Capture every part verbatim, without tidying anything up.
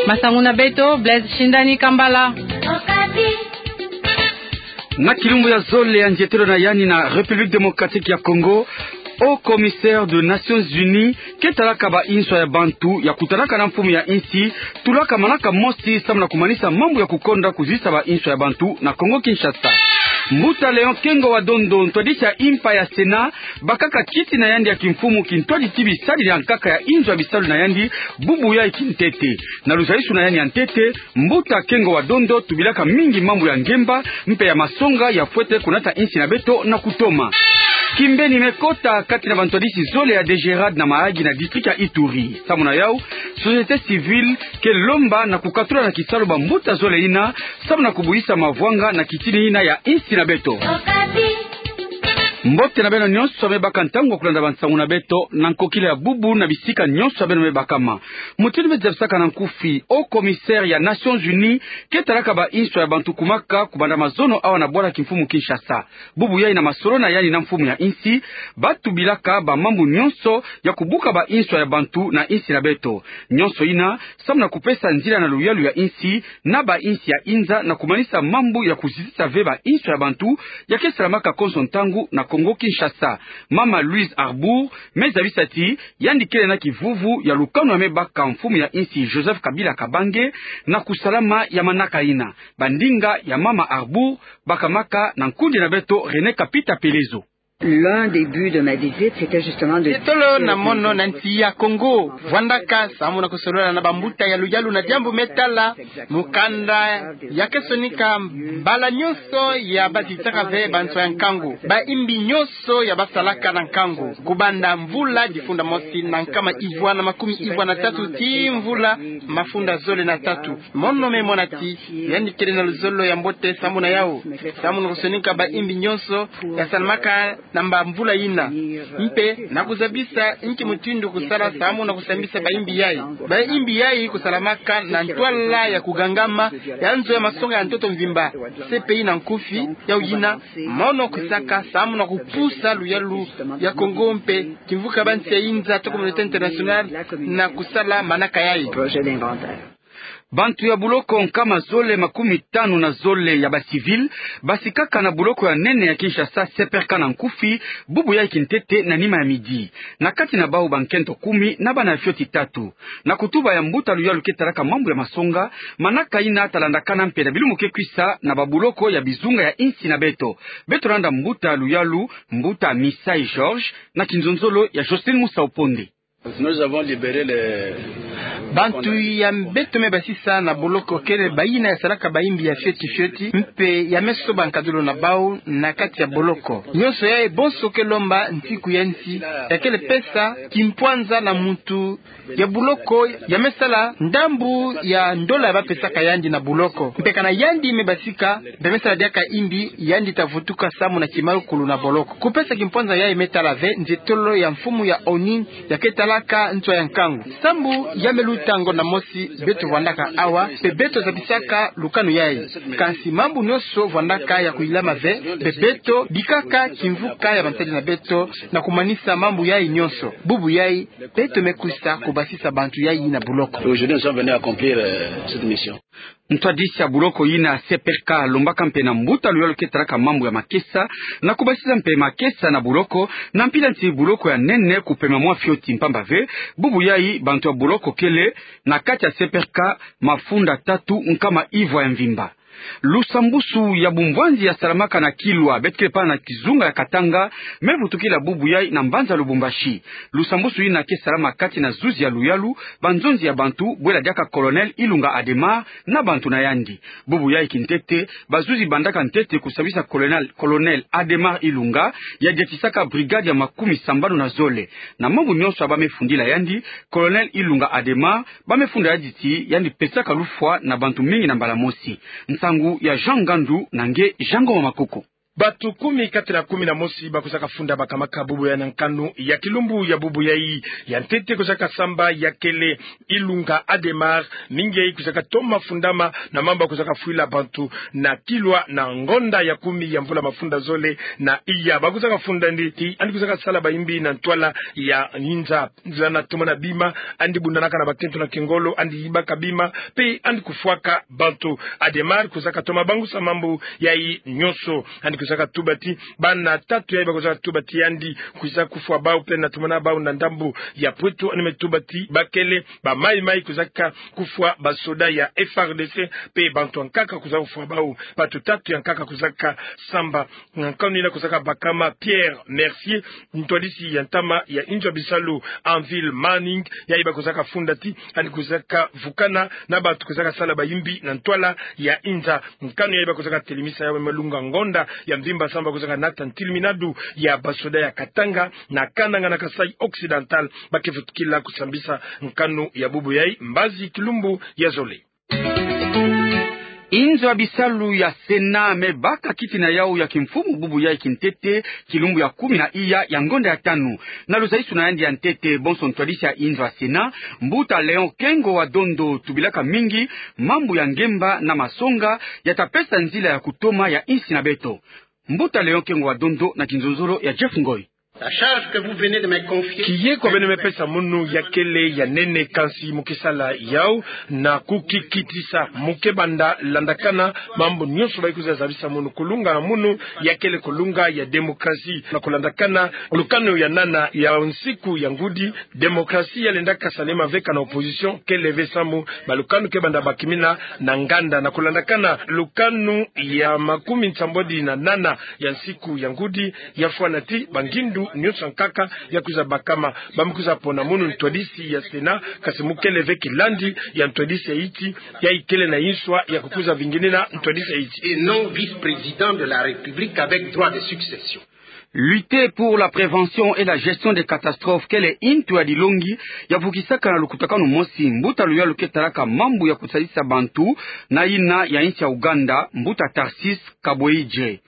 Masangu na beto, Blaise Shindani Kambala. Na kilumbu ya zole ya nzietelo na yandi na République Démocratique ya Congo, Haut Commissaire des Nations Unies ke talaka ba inswa ya bantu ya kutanaka na mfumu ya insi, tulaka manaka mosi samu na kumanisa mambu ya kukonda kuzisa ba inswa ya bantu na Congo-Kinshasa. Mbuta Léon Kengo wa Dondo, ntwadisi ya impa ya Sénat, bakaka kiti na yandi ya kimfumu kintwadi ti bisadidi ya nkaka ya inzo ya bisalu na yandi, bubu yai kintete. Na luzaisu na yandi ya ntete, Mbuta Kengo wa Dondo tubilaka mingi mambu ya ngemba mpe ya masonga ya fwete kunata insi na beto na kutoma. Kimbeni me kota kati na bantwadisi zole ya DGRAD na Mahagi na district ya Ituri. Samu na yau, société civile ke lomba na kukatula na kisalu bambuta zole ina, samu na kubuyisa mavwanga na kitini ina ya insi na beto. Mbote na beno nyonso ya me baka ntangu ya kulanda bansangu na beto, na nkokila ya bubu na bisika nyonso ya beno me bakama. Mutindu me zabisaka na nkufi, Haut Commissaire ya Nations Unies ke talaka ba inswa ya bantu kumaka kubanda mazono awa na bwala kimfumu Kinshasa. Bubu yai na masolo na yandi na mfumu ya insi, ba tubilaka ba mambu nyonso ya kubuka ba inswa ya bantu na insi na beto. Nyonso ina, samu na kupesa nzila na luyalu ya insi, na ba insi ya inza na kumanisa mambu ya kuzitisa ve ba inswa ya bantu, ya ke salamaka konso ntangu na Congo-Kinshasa. Mama Louise Arbour me zabisa ti, yandi kele na kivuvu ya lukanu ya me baka mfumu ya insi Joseph Kabila Kabange na kusalama ya manaka ina. Bandinga ya Mama Arbour bakamaka na nkundi na beto René Kapita Pelezo. L'un des buts de ma visite, c'était justement de... Nzietolo na mono na nsi ya Congo, vwandaka samu na kusolola na bambuta ya luyalu na diambu me tala mukanda ya ke sonika mbala nyonso ya bazitaka ve banswa ya nkangu, ba imbi nyonso ya basalaka na nkangu, kubanda mvula difunda mosi na nkama ivwa na makumi ivwa na tatu tii mvula mafunda zole na tatu. Mono me mona ti, yandi kele na luzolo ya mbote samu na yau, samu na kusonika ba imbi nyonso ya salamaka na bamvula ina, mpe na kuzabisa nki mutindu kusala samu na kusambisa ba imbi yai. Ba imbi yai kusalamaka na ntwala ya kugangama ya nzo ya masonga ya ntoto mvimba, C P I na nkufi. Yau yina, mono kwisaka samu na kupusa luyalu ya Congo mpe kimvuka bansi ya inza to communauté internationale na kusala manaka yai. Bantu ya buloko nkama zole makumi tanu na zole ya ba civil basikaka na buloko ya nene ya Kinshasa, C P R K na nkufi, bubu yai kintete na nima ya midi. Na kati na bau bankento kumi na bana ya fioti tatu. Na kutuba ya mbuta luyalu ke talaka mambu ya masonga, manaka ina talandakana mpe na bilumu ke kwisa na babuloko ya bizunga ya insi na beto. Beto landa mbuta luyalu, mbuta Misai Georges, na kinzonzolo ya Jocelyne Musau Ponde. Nous avons libéré les... Bantu ya beto me basisa na boloko kele bayina ya salaka bayimbi ya fioti fioti, mpe ya me soba nkadolo na bau na kati ya boloko. Nyonso yai bonso ke lomba nsiku ya nsi ya kele pesa kimpwanza na muntu ya boloko ya me sala ndambu ya ndola ya ba pesaka yandi na boloko. Mpe kana yandi me basika, mpe me sala diaka imbi, yandi ta vutuka samu na kimalu kulu na boloko. Kupesa kimpwanza yai me tala ve nzietolo ya mfumu ya ONU ya ke talaka nswa ya nkangu. Sambu ya me luta ngonda mosi beto vwandaka awa, mpe beto zabisaka lukanu yai. Kansi mambu nyonso vwandaka ya kuilama ve, mpe beto bikaka kimvuka ya bansadi na beto na kumanisa mambu yai nyonso. Bubu yai, beto me kwisa kubasisa bantu yai na boloko. Aujourd'hui, nous sommes venus accomplir, euh, cette mission. Ntwadisi ya boloko yina C P R K lombaka mpe na mbuta luyalu ke talaka mambu ya makesa, na kubasisa mpe makesa na boloko, na mpila nti boloko ya nene kupema mwa fioti mpamba ve, bubu yai bantu ya boloko kele na kati ya C P R K mafunda tatu nkama ivwa ya mvimba. Lusambusu ya bumvwanzi ya salamaka na Kilwa, beto kele pana na kizunga ya Katanga, me vutukila bubu yai na mbanza Lubumbashi. Lusambusu yina ke salama kati na zuzi ya luyalu, banzonzi ya bantu, bwela diaka Colonel Ilunga Adhémar na bantu na yandi. Bubu yai kintete, bazuzi bandaka ntete kusambisa Colonel, Colonel Adhémar Ilunga, ya diatisaka brigade ya makumi sambanu na zole. Na mambu nyonso ya ba me fundila yandi, Colonel Ilunga Adhémar, ba me funda yandi ti yandi pesaka lufwa na bantu mingi na mbala mosi. Nsangu ya Jean Ngandu na nge Jean Ngoma Makoko. Bato kumi kati na kumi na mosi bakwizaka funda bakamaka bubu yayi na nkanu ya kilumbu ya bubu yayi. Ya ntete kwizaka samba ya kele Ilunga Adhémar, mingi yayi kwizaka toma fundama na mambu kwizaka fwila bantu na kilwa na ngonda ya kumi ya mvula mafunda zole na iya. Bakwizaka funda nde ti yandi kwizaka sala bayimbi na ntwala ya inza. Nzila na tomana bima, yandi bundanaka na bakento na kingolo, yandi yibaka bima, mpe yandi kufwaka bantu. Adhémar kwizaka toma bangusa mambu yayi nyonso. Yandi kwizaka tuba ti bana tatu yayi bakwizaka tuba ti yandi kwiza kufwa bau, mpe na tomana bau na ndambu ya Potou, yandi me tuba ti bakele ba maï-maï kwizaka kufwa basoda ya F R D C, mpe bantu ya nkaka kwizaka kufwa bau. Bato tatu ya nkaka kwizaka samba na nkanu yina kwizaka bakama. Pierre Mercier, ntwadisi ya ntama ya inzo ya bisalu Anvil Manning, yayi bakwizaka funda ti yandi kwizaka vukana na bato kwizaka sala bayimbi na ntwala ya inza. Nkanu yayi bakwizaka telemisa yawu me lunga ngonda ya mvimba, samu bakwizaka nata ntiliminadu ya basoda ya Katanga na Kananga na Kasaï Occidental, ba ke vutukila kusambisa nkanu ya bubu yayi mbazi kilumbu ya zole. Inzo ya bisalu ya Sénat me baka kiti na yawu ya kimfumu bubu yayi kintete, kilumbu ya kumi na iya ya ngonda ya tanu. Na luzalisu na yandi ya ntete bonso ntwadisi ya inzo ya Sénat, Mbuta Léon Kengo wa Dondo, tubilaka mingi mambu ya ngemba na masonga ya ta pesa nzila ya kutoma ya insi na beto. Mbuta Léon Kengo wa Dondo na kinzonzolo ya Jeff Ngoy. La charge que vous venez de me confier. Kiyeko beno me pesa munu ya kele ya nene, kansi mu ke sala yawu na kukikitisa. Mu ke banda landakana mambu nyonso bayi kwiza zabisa munu. Kulunga munu ya kele kulunga ya démocratie. Na kulandakana lukanu ya nana ya nsiku ya ngudi, démocratie ya lenda kasalema ve kana opposition kele ve, samu balukanu ke banda bakimina na nganda. Na kulandakana lukanu ya makumi nsambwadi na nana ya nsiku ya ngudi, ya fwana ti bangindu nyonso ya nkaka ya kwiza bakama. Ba me kwiza pona munu ntwadisi ya Sénat, kansi mu kele ve kilandi ya ntwadisi ya insi, yayi kele na inswa ya kukwiza vinginina ntwadisi ya insi. Et non vice-président de la République avec droit de succession. Lutter pour la prévention et la gestion des catastrophes, kele ntu ya dilongi ya vukisaka na lukutakanu mosi mbuta luyalu ke talaka mambu ya kusadisa bantu na yina ya insi ya Ouganda, mbuta Tarcisse Kaboyidje.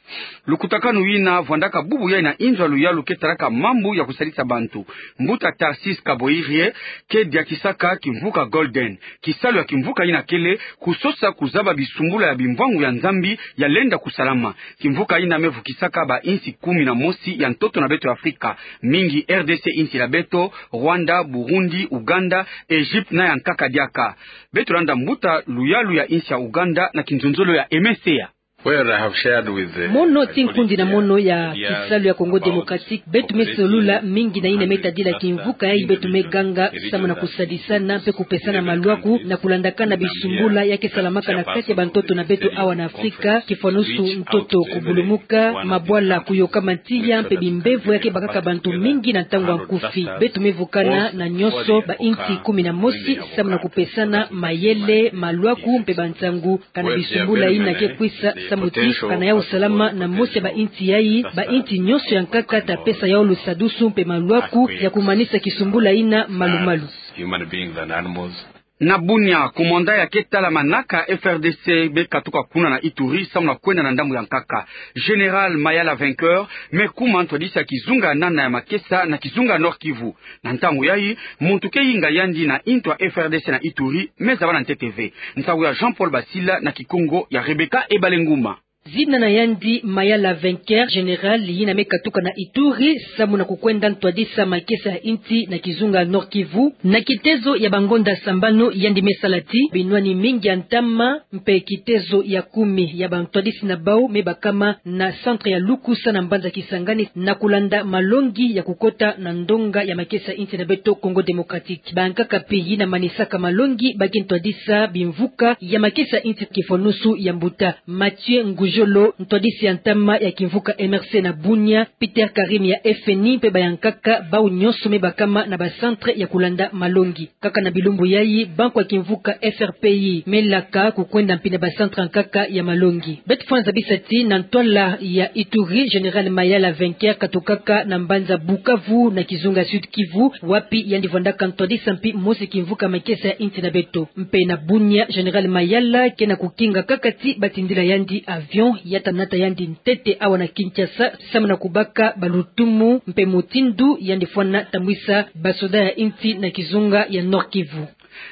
Lukutakanu yina vwandaka bubu yayi na inzo ya luyalu ke talaka mambu ya kusadisa bantu. Mbuta Tarcisse Kaboyidje ke diakisaka kimvuka Golden. Kisalu ya kimvuka yina kele kusosa kuzaba bisumbula ya bimvwangu ya Nzambi ya lenda kusalama. Kimvuka yina me vukisaka ba insi kumi na mosi ya ntoto na beto ya Afrika, mingi R D C, insi na beto, Rwanda, Burundi, Ouganda, Egypte na ya nkaka diaka. Beto landa mbuta luyalu ya insi ya Ouganda na kinzonzolo ya Aimé Seya. Well, I have shared with the Mono ti nkundi na mono ya kisalu ya Congo Démocratique, beto me solula mingi na yina me tadila kimvuka yayi beto me ganga samu na kusadisana mpe kupesana malwaku na kulandakana bisumbula ya ke salamaka na kati ya bantoto na beto awa na Afrika, kifwanusu ntoto kubulumuka, mabwala kuyoka matiya mpe bimbevo ya ke bakaka bantu mingi na ntangu ya nkufi. Beto me vukana na nyonso ba insi kumi na mosi samu na kupesana mayele, malwaku mpe bansangu kana bisumbula yina ke kwisa samu ti kana yawu salama na mosi ya ba insi yayi, ba insi nyonso ya nkaka ta pesa yawu lusadusu mpe malwaku ya kumanisa kisumbula yina malumalu. Human beings and animals. Na Bunia, commandant ya ke tala manaka F R D C me katuka kuna na Ituri samu na kwenda na ndambu ya nkaka. Général Mayala Vainqueur me kuma ntwadisi ya kizunga ya nana ya makesa na kizunga Nord-Kivu. Na ntangu yayi, muntu ke yinga yandi na intu ya F R D C na Ituri me zaba na ntete ve. Nsangu ya Jean-Paul Basila na Kikongo ya Rebecca Ebalenguma. Zina na yandi Mayala Vainqueur, général yina me katuka na Ituri samu na kukwenda ntwadisa makesa ya insi na kizunga Nord-Kivu. Na kitezo ya bangonda sambanu yandi me sala ti binwani mingi ya ntama mpe kitezo ya kumi ya bantwadisi na bau me bakama na centre ya Lukusa na mbanza Kisangani na kulanda malongi ya kukota na ndonga ya makesa ya insi na beto Congo Démocratique. Bankaka mpe yina manisaka malongi ba ke ntwadisa bimvuka ya makesa ya insi, kifwanusu ya mbuta Mathieu Ngujolo, ntwadisi ya ntama ya kimvuka M R C na Bunia, Peter Karim ya F N I mpe bayankaka bau nyonso me bakama na ba centre ya kulanda malongi. Kaka na bilumbu yayi, banku ya kimvuka F R P I me laka kukwenda mpi na ba centre ya nkaka ya malongi. Beto fwanza bisa ti na ntwala ya Ituri, général Mayala Vainqueur katukaka na mbanza Bukavu na kizunga Sud-Kivu, wapi yandi vwandaka ntwadisa mpi mosi kimvuka makesa ya insi na beto. Mpe na Bunia, général Mayala ke na kukinga kaka ti batindila yandi avion ya tanata yandi ntete awa na Kinshasa, samu na kubaka balutumu mpe mutindu yandi fwana tambwisa basoda ya insi na kizunga ya Nord-Kivu.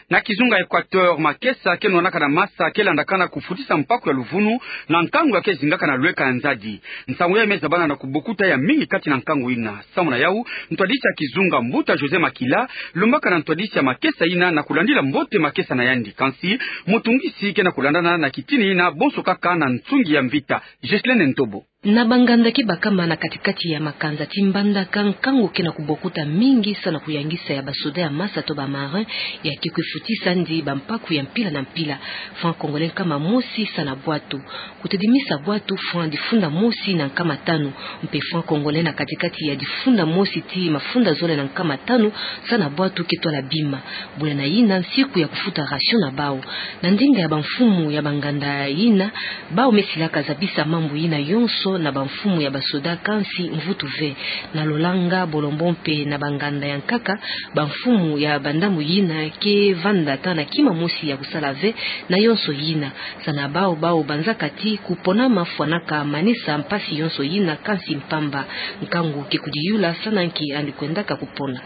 Na kizunga Equateur, makesa ke nwanaka na masa ke landakana kufutisa mpaku ya luvunu na nkangu ya ke zingaka na lweka ya nzadi. Nsangu yayi me zabana na kubokuta ya mingi kati na nkangu ina. Samu na yau, ntwadisi ya kizunga, Mbuta José Makila, lombaka na ntwadisi ya makesa ina na kulandila mbote makesa na yandi. Kansi mutungisi ke na kulandana na kitini ina bonso kaka na nsungi ya mvita. Ghislaine Ntobo. Na banganda ke bakama na kati-kati ya makanza ti Mbandaka, nkangu ke na kubokuta mingi samu na kuyangisa ya basoda ya masa to ba marin ya ke kwifutisandi bampaku ya mpila na mpila. Franc congolais nkama mosi samu na bwatu. Kutedimisa bwatu, franc difunda mosi na nkama tanu, mpe franc congolais na kati-kati ya difunda mosi tii mafunda zole na nkama tanu samu na bwatu ke twala bima. Bula na yina nsiku ya kufuta ration na bau. Na ndinga ya bamfumu ya banganda yina, bau me silaka zabisa mambu yina yonso na bamfumu ya basoda, kansi mvutu ve. Na lolanga Bolombo mpe na banganda ya nkaka, bamfumu ya bandambu yina ke vanda ata na kima mosi ya kusala ve na yonso yina. Samu na bau, bau banzaka ti kuponama fwanaka manisa mpasi yonso yina, kansi mpamba. Nkangu ke kudiyula samu na nki yandi kwendaka kupona.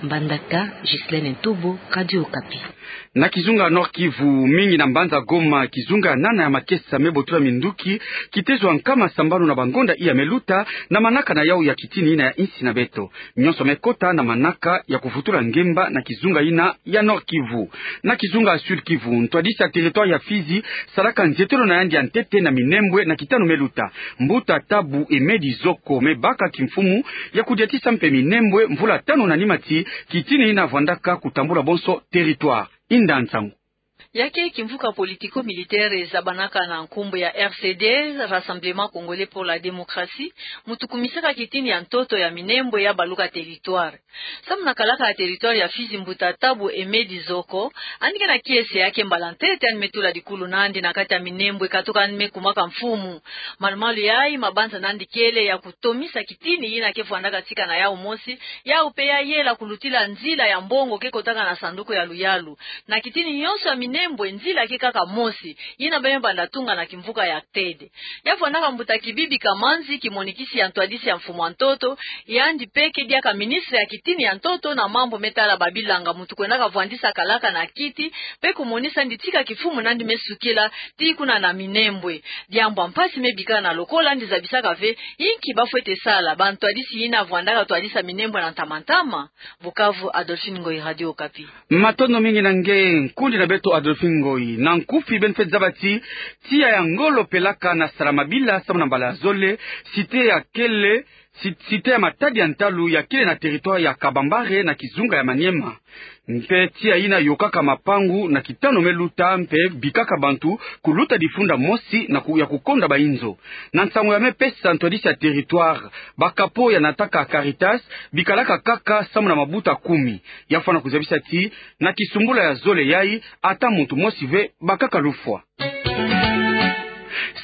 Mbandaka, Ghislaine Ntobo, Radio Okapi. Na kizunga Nord-Kivu, mingi na mbanza Goma, kizunga nana ya makesa me botola minduki, kitezo ya nkama sambanu na bangonda iya me luta, na manaka na yau ya kitini ina ya insi na beto. Nyonso me kota na manaka ya kuvutula ngemba na kizunga ina ya Nord-Kivu. Na kizunga Sud-Kivu, ntwadisi ya territoire ya Fizi salaka nzietelo na yandi ya ntete na minembwe na kitanu me luta. Mbuta Tabu Emedi Zoko me baka kimfumu ya kudiatisa mpe minembwe mvula tanu na nima ti kitini ina vwandaka kutambula bonso territoire. Inda nsangu. Ya ke kimvuka politico-militaire zabanaka na nkumbu ya R C D, Rassemblement Congolais pour la Démocratie, mutu kumisaka kitini ya ntoto ya minembwe ya baluka territoire. Samu na kalaka ya territoire ya Fizi, Mbuta Tabu Emedi Zoko, yandi ke na kiese ya ke mbala ntete yandi me tula dikulu nandi na kati ya minembwe katoka yandi me kumaka mfumu. Malu-malu yayi mabanza nandi kele ya kutomisa kitini yina ke vwandaka tika na yau mosi, yau mpe ya yela kulutila nzila ya mbongo ke kotaka na sanduku ya luyalu. Na kitini nyonso ya minembwe, nzila ke kaka mosi, yina beno banda tunga na kimvuka ya Tede. Ya vwandaka Mbuta Kibibi Kamanzi, kimonikisi ya ntwadisi ya mfumu ya ntoto, yandi mpe ke diaka ministre ya kitini ya ntoto na mambu me tala babilanga, mutu kwendaka vwandisa kalaka na kiti, mpe kumonisa yandi tika kifumu nandi me sukila, tii kuna na minembwe. Diambu ya mpasi me bikana lokola yandi zabisaka ve inki bafwete sala bantwadisi yina vwandaka twadisa minembwe na ntama-ntama. Bukavu, Adolphine Ngoyi, Radio Okapi. Matondo mingi na nge, nkundi na beto Adolphine Ngoyi. Na nkufi, beno fwete zaba ti tiya ya ngolo pelaka na Salamabila samu na mbala ya zole, cité ya kele, ci-, cité ya Matadi ya ntalu ya kele na territoire ya Kabambare na kizunga ya Maniema. Mpe tiya yina yokaka mapangu na kitanu me luta mpe bikaka bantu kuluta difunda mosi na ku-, ya kukonda bainzo. Na nsangu ya me pesa ntwadisi ya territoire, ba capot ya nataka Caritas bikalaka kaka samu na mabuta kumi. Ya fwana kuzabisa ti na kisumbula ya zole yayi, ata muntu mosi ve bakaka lufwa.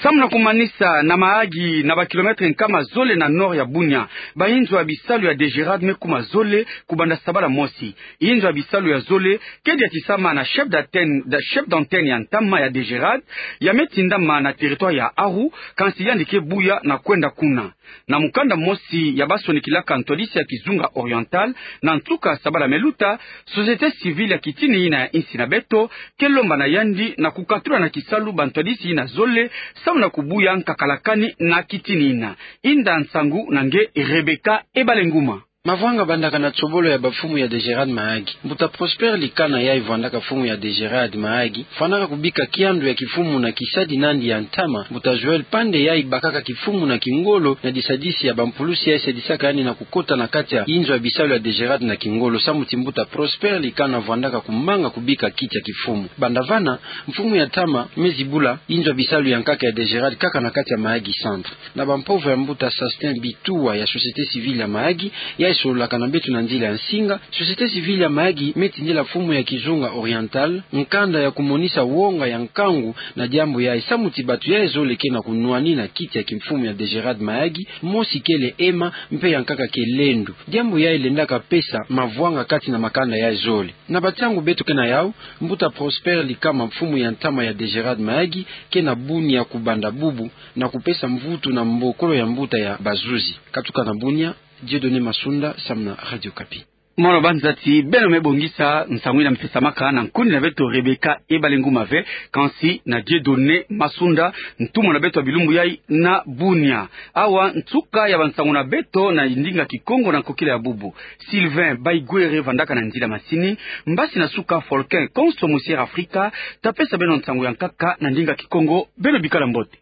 Samu na kumanisa, na Mahagi, na ba kilomètre nkama zole na nord ya Bunia, bainzo ya bisalu ya DGRAD me kuma zole kubanda sabala mosi. Inzo ya bisalu ya zole ke diatisama na chef d'antenne, da-, chef d'antenne ya ntama ya DGRAD, ya me tindama na territoire ya Aru, kansi yandi ke buya na kwenda kuna. Na mukanda mosi ya basonikilaka ntwadisi ya kizunga Oriental na nsuka sabala me luta, société civile ya kitini yina ya insi na beto ke lomba na yandi na kukatula na kisalu bantwadisi yina zole samu na kubuya nkakalakani na kitini yina. Inda nsangu na nge Rebecca Ebalenguma. Mavwanga bandaka na tsobolo ya bamfumu ya DGRAD Mahagi. Mbuta Prosper Likana, yayi vwandaka mfumu ya DGRAD Mahagi, fwanaka kubika kiandu ya kifumu na kisadi nandi ya ntama. Mbuta Joël Pande, yayi bakaka kifumu na kingolo na disadisi ya bampulusi yayi sadisaka yandi na kukota na kati ya inzo ya bisalu ya DGRAD na kingolo, samu ti Mbuta Prosper Likana vwandaka kumanga kubika kiti ya kifumu. Banda vana, mfumu ya ntama me zibula inzo ya bisalu ya nkaka ya DGRAD kaka na kati ya Mahagi Centre. Na bampovo ya Mbuta Sastin Bituwa ya société civile ya Mahagi, yayi Sololaka na beto na nzila ya nsinga, société civile ya Mahagi me tindila mfumu ya Kizunga Oriental nkanda ya kumonisa wonga ya nkangu na diambu yayi, samu ti bato yayi zole ke na kunwanina kiti ya kimfumu ya Degerade Mahagi, mosi kele ema, mpe ya nkaka ke lendu. Diambu yayi lendaka pesa mavwanga kati na makanda yayi zole. Na batiangu beto ke na yawu, mbuta Prosper Likama, mfumu ya ntama ya Degerade Mahagi, ke na bunia kubanda bubu na kupesa mvutu na mbokolo ya mbuta ya bazuzi. Katuka na bunia, Dieudonné Masunda, samu na Radio Okapi. Mono banza ti beno me bongisa nsangu yina mpesamaka na nkundi na beto Rebecca Ebalenguma ve, kansi na Dieudonné Masunda, ntumwa na beto ya bilumbu yayi na bunia. Awa nsuka ya bansangu na beto na ndinga Kikongo na nkokila ya bubu. Sylvain Baigwere vandaka na nzila masini, mbasi na suka Folkin Konso Mosier Afrika, ta pesa beno nsangu ya nkaka na ndinga Kikongo, beno bikala mbote.